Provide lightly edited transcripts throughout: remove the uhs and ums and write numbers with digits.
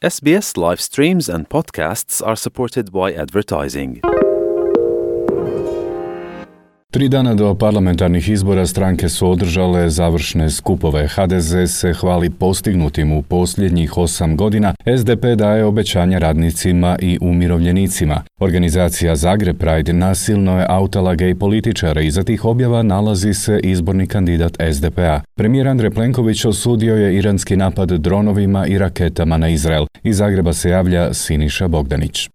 SBS live streams and podcasts are supported by advertising. 3 dana do parlamentarnih izbora stranke su održale završne skupove. HDZ se hvali postignutim u posljednjih 8 godina. SDP daje obećanja radnicima i umirovljenicima. Organizacija Zagreb Pride nasilno je autala gej političara i za tih objava nalazi se izborni kandidat SDP-a. Premijer Andrej Plenković osudio je iranski napad dronovima i raketama na Izrael. Iz Zagreba se javlja Siniša Bogdanić.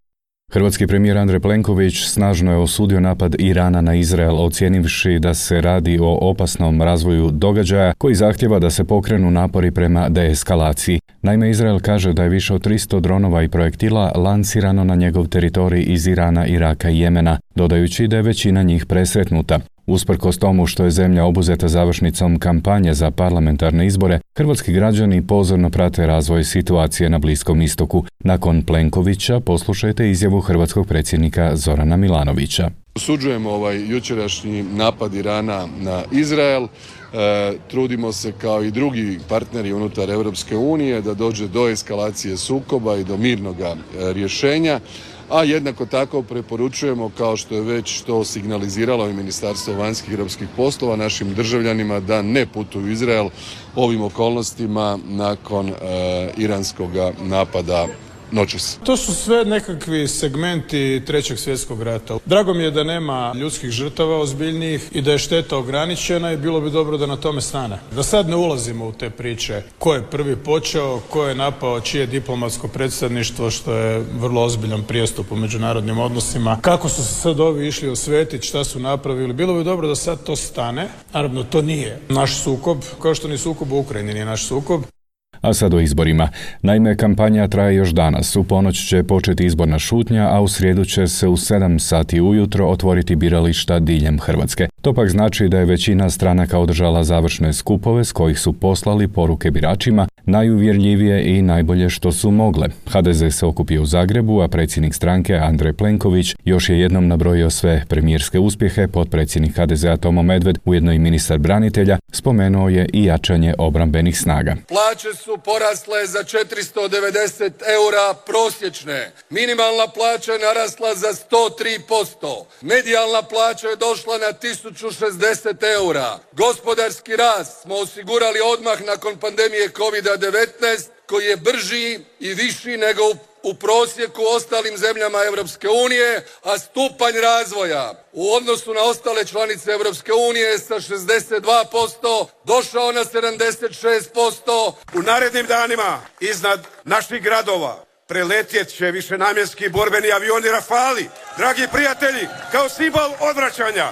Hrvatski premijer Andrej Plenković snažno je osudio napad Irana na Izrael, ocijenivši da se radi o opasnom razvoju događaja koji zahtjeva da se pokrenu napori prema deeskalaciji. Naime, Izrael kaže da je više od 300 dronova i projektila lancirano na njegov teritorij iz Irana, Iraka i Jemena, dodajući da je većina njih presretnuta. Usprkos tomu što je zemlja obuzeta završnicom kampanje za parlamentarne izbore, hrvatski građani pozorno prate razvoj situacije na Bliskom istoku. Nakon Plenkovića poslušajte izjavu hrvatskog predsjednika Zorana Milanovića. Osuđujemo jučerašnji napad Irana na Izrael. Trudimo se kao i drugi partneri unutar Europske unije da dođe do eskalacije sukoba i do mirnog rješenja. A jednako tako preporučujemo, kao što je već to signaliziralo i Ministarstvo vanjskih i europskih poslova, našim državljanima da ne putuju u Izrael ovim okolnostima nakon iranskog napada noćas. To su sve nekakvi segmenti Trećeg svjetskog rata. Drago mi je da nema ljudskih žrtava ozbiljnijih i da je šteta ograničena i bilo bi dobro da na tome stane. Da sad ne ulazimo u te priče ko je prvi počeo, ko je napao čije diplomatsko predstavništvo, što je vrlo ozbiljan prijestup u međunarodnim odnosima. Kako su se sad ovi išli osvetiti, šta su napravili. Bilo bi dobro da sad to stane. Naravno, to nije naš sukob, kao što ni sukob u Ukrajini nije naš sukob. A sad o izborima. Naime, kampanja traje još danas. U ponoć će početi izborna šutnja, a u srijedu će se u 7 sati ujutro otvoriti birališta diljem Hrvatske. To pak znači da je većina stranaka održala završne skupove s kojih su poslali poruke biračima, najuvjerljivije i najbolje što su mogle. HDZ se okupio u Zagrebu, a predsjednik stranke Andrej Plenković još je jednom nabrojio sve premijerske uspjehe. Potpredsjednik HDZ-a Tomo Medved, ujedno i ministar branitelja, spomenuo je i jačanje obrambenih snaga. Plaće su porasle za 490 eura prosječne. Minimalna plaća je narasla za 103%. Medijalna plaća je došla na 1060 eura. Gospodarski rast smo osigurali odmah nakon pandemije COVID-19 koji je brži i viši nego u prosjeku ostalim zemljama Europske unije, a stupanj razvoja u odnosu na ostale članice Europske unije sa 62% došao na 76%. U narednim danima iznad naših gradova preletjet će višenamjenski borbeni avioni Rafali. Dragi prijatelji, kao simbol odvraćanja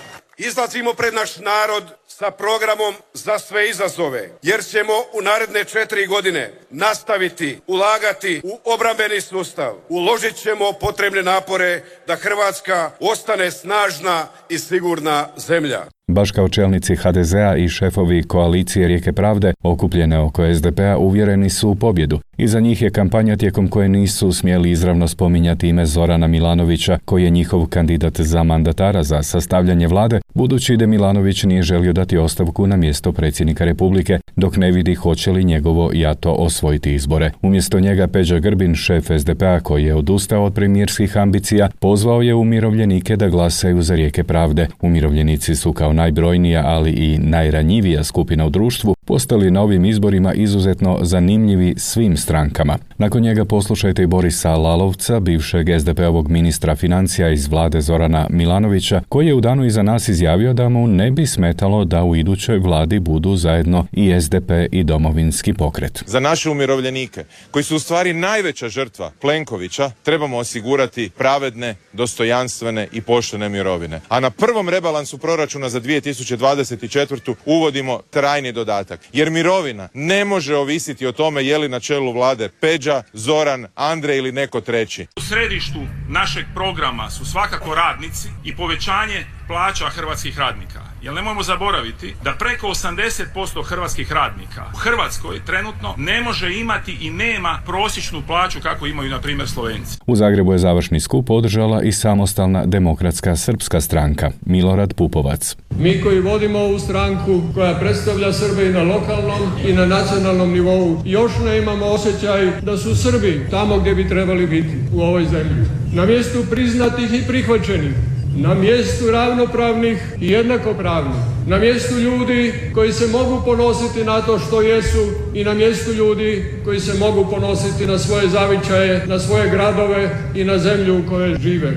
izlazimo pred naš narod sa programom za sve izazove, jer ćemo u naredne 4 godine nastaviti ulagati u obrambeni sustav. Uložit ćemo potrebne napore da Hrvatska ostane snažna i sigurna zemlja. Baš kao čelnici HDZ-a i šefovi koalicije Rijeke pravde okupljene oko SDP-a uvjereni su u pobjedu. Iza njih je kampanja tijekom koje nisu smjeli izravno spominjati ime Zorana Milanovića, koji je njihov kandidat za mandatara za sastavljanje vlade, budući da Milanović nije želio dati ostavku na mjesto predsjednika Republike, dok ne vidi hoće li njegovo jato osvojiti izbore. Umjesto njega Peđa Grbin, šef SDP-a koji je odustao od premijerskih ambicija, pozvao je umirovljenike da glasaju za Rijeke pravde. Umirovljenici su kao najbrojnija, ali i najranjivija skupina u društvu, postali na ovim izborima izuzetno zanimljivi svim strankama. Nakon njega poslušajte i Borisa Lalovca, bivšeg SDP-ovog ministra financija iz vlade Zorana Milanovića, koji je u danu iza nas izjavio da mu ne bi smetalo da u idućoj vladi budu zajedno i SDP i Domovinski pokret. Za naše umirovljenike, koji su u stvari najveća žrtva Plenkovića, trebamo osigurati pravedne, dostojanstvene i poštene mirovine. A na prvom rebalansu proračuna za 2024. uvodimo trajni dodatak. Jer mirovina ne može ovisiti o tome je li na čelu vlade Peđa, Zoran, Andrej ili neko treći. U središtu našeg programa su svakako radnici i povećanje plaća hrvatskih radnika. Jer nemojmo zaboraviti da preko 80% hrvatskih radnika u Hrvatskoj trenutno ne može imati i nema prosječnu plaću kako imaju na primjer Slovenci. U Zagrebu je završni skup održala i samostalna demokratska srpska stranka Milorad Pupovac. Mi koji vodimo ovu stranku koja predstavlja Srbe i na lokalnom i na nacionalnom nivou još ne imamo osjećaj da su Srbi tamo gdje bi trebali biti u ovoj zemlji. Na mjestu priznatih i prihvaćenih, na mjestu ravnopravnih i jednakopravnih, na mjestu ljudi koji se mogu ponositi na to što jesu i na mjestu ljudi koji se mogu ponositi na svoje zavičaje, na svoje gradove i na zemlju u kojoj žive.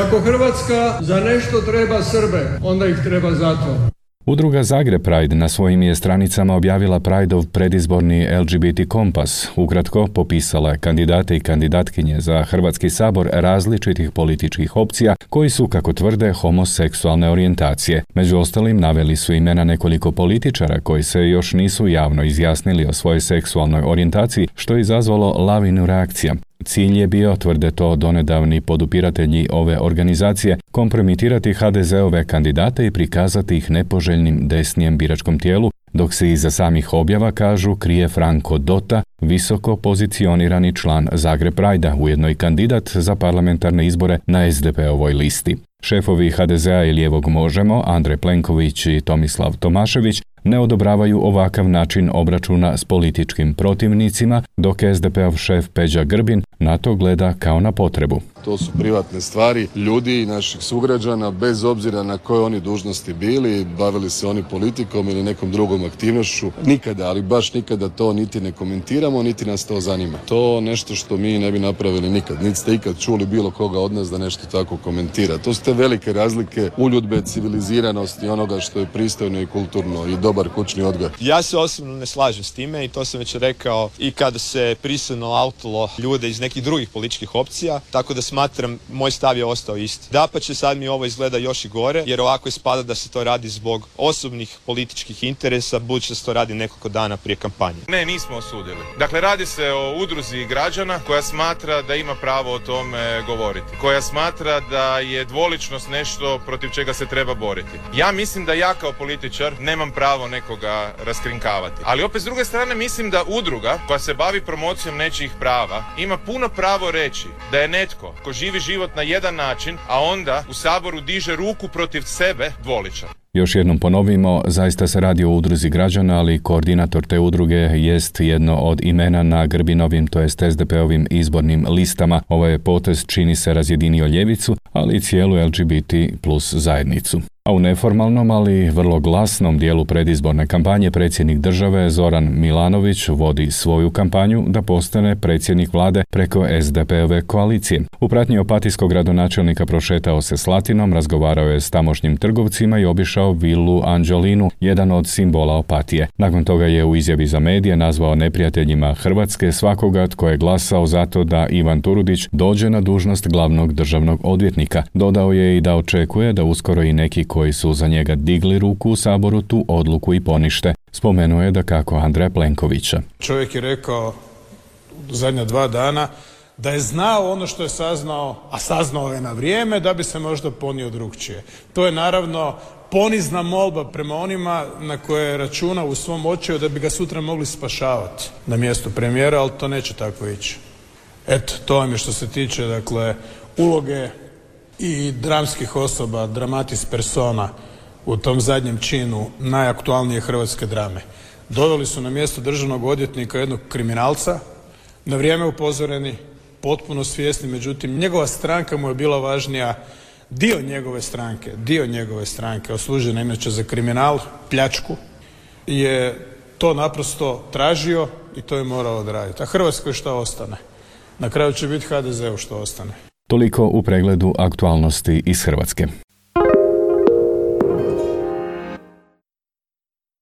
Ako Hrvatska za nešto treba Srbe, onda ih treba za to. Udruga Zagreb Pride na svojim je stranicama objavila Prideov predizborni LGBT kompas. Ukratko, popisala je kandidate i kandidatkinje za Hrvatski sabor različitih političkih opcija koji su, kako tvrde, homoseksualne orijentacije. Među ostalim naveli su imena nekoliko političara koji se još nisu javno izjasnili o svojoj seksualnoj orijentaciji, što je izazvalo lavinu reakcija. Cilj je bio, tvrde to donedavni podupiratelji ove organizacije, kompromitirati HDZ-ove kandidate i prikazati ih nepoželjnim desnijem biračkom tijelu, dok se iza samih objava, kažu, krije Franko Dota, visoko pozicionirani član Zagreb Pride-a, ujedno i kandidat za parlamentarne izbore na SDP-ovoj listi. Šefovi HDZ-a i lijevog Možemo, Andrej Plenković i Tomislav Tomašević, ne odobravaju ovakav način obračuna s političkim protivnicima, dok SDP-ov šef Peđa Grbin na to gleda kao na potrebu. To su privatne stvari ljudi i naših sugrađana, bez obzira na koje oni dužnosti bili, bavili se oni politikom ili nekom drugom aktivnošću. Nikada, ali baš nikada to niti ne komentiramo, niti nas to zanima. To nešto što mi ne bi napravili nikad. Niti ste ikad čuli bilo koga od nas da nešto tako komentira. To su te velike razlike uljudbe, civiliziranosti, onoga što je pristojno i kulturno i dobar kućni odgoj. Ja se osobno ne slažem s time i to sam već rekao i kada se prisilno autalo ljude iz nekih drugih političkih opcija, tako da smatram, moj stav je ostao isti. Dapače, sad mi ovo izgleda još i gore, jer ovako ispada da se to radi zbog osobnih političkih interesa, budući da se to radi nekoliko dana prije kampanje. Ne, nismo osudili. Dakle, radi se o udruzi građana koja smatra da ima pravo o tome govoriti. Koja smatra da je dvoličnost nešto protiv čega se treba boriti. Ja mislim da ja kao političar nemam pravo nekoga raskrinkavati. Ali opet s druge strane mislim da udruga koja se bavi promocijom nečijih prava ima puno pravo reći da je netko ko živi život na jedan način, a onda u Saboru diže ruku protiv sebe, dvoličan. Još jednom ponovimo, zaista se radi o udruzi građana, ali koordinator te udruge jest jedno od imena na Grbinovim, to jest SDP-ovim izbornim listama. Ovaj potez, čini se, razjedinio ljevicu, ali i cijelu LGBT plus zajednicu. A u neformalnom, ali vrlo glasnom dijelu predizborne kampanje predsjednik države Zoran Milanović vodi svoju kampanju da postane predsjednik vlade preko SDP-ove koalicije. U pratnji opatijskog gradonačelnika prošetao se Slatinom, razgovarao je s tamošnjim trgovcima i obišao vilu Anđelinu, jedan od simbola Opatije. Nakon toga je u izjavi za medije nazvao neprijateljima Hrvatske svakoga tko je glasao za to da Ivan Turudić dođe na dužnost glavnog državnog odvjetnika. Dodao je i da očekuje da uskoro i neki koji su za njega digli ruku u Saboru tu odluku i ponište. Spomenuo je dakako Andreja Plenkovića. Čovjek je rekao u zadnja 2 dana da je znao ono što je saznao, a saznao je na vrijeme, da bi se možda ponio drugčije. To je naravno ponizna molba prema onima na koje računa u svom očaju da bi ga sutra mogli spašavati na mjestu premijera, ali to neće tako ići. Eto, to vam je što se tiče, dakle, uloge i dramskih osoba, dramatis persona u tom zadnjem činu najaktualnije hrvatske drame. Doveli su na mjesto državnog odvjetnika jednog kriminalca, na vrijeme upozoreni, potpuno svjesni, međutim njegova stranka mu je bila važnija, dio njegove stranke, osuđena inače za kriminal, pljačku, je to naprosto tražio i to je morao odraditi. A Hrvatskoj šta ostane? Na kraju će biti HDZ-u što ostane. Toliko u pregledu aktualnosti iz Hrvatske.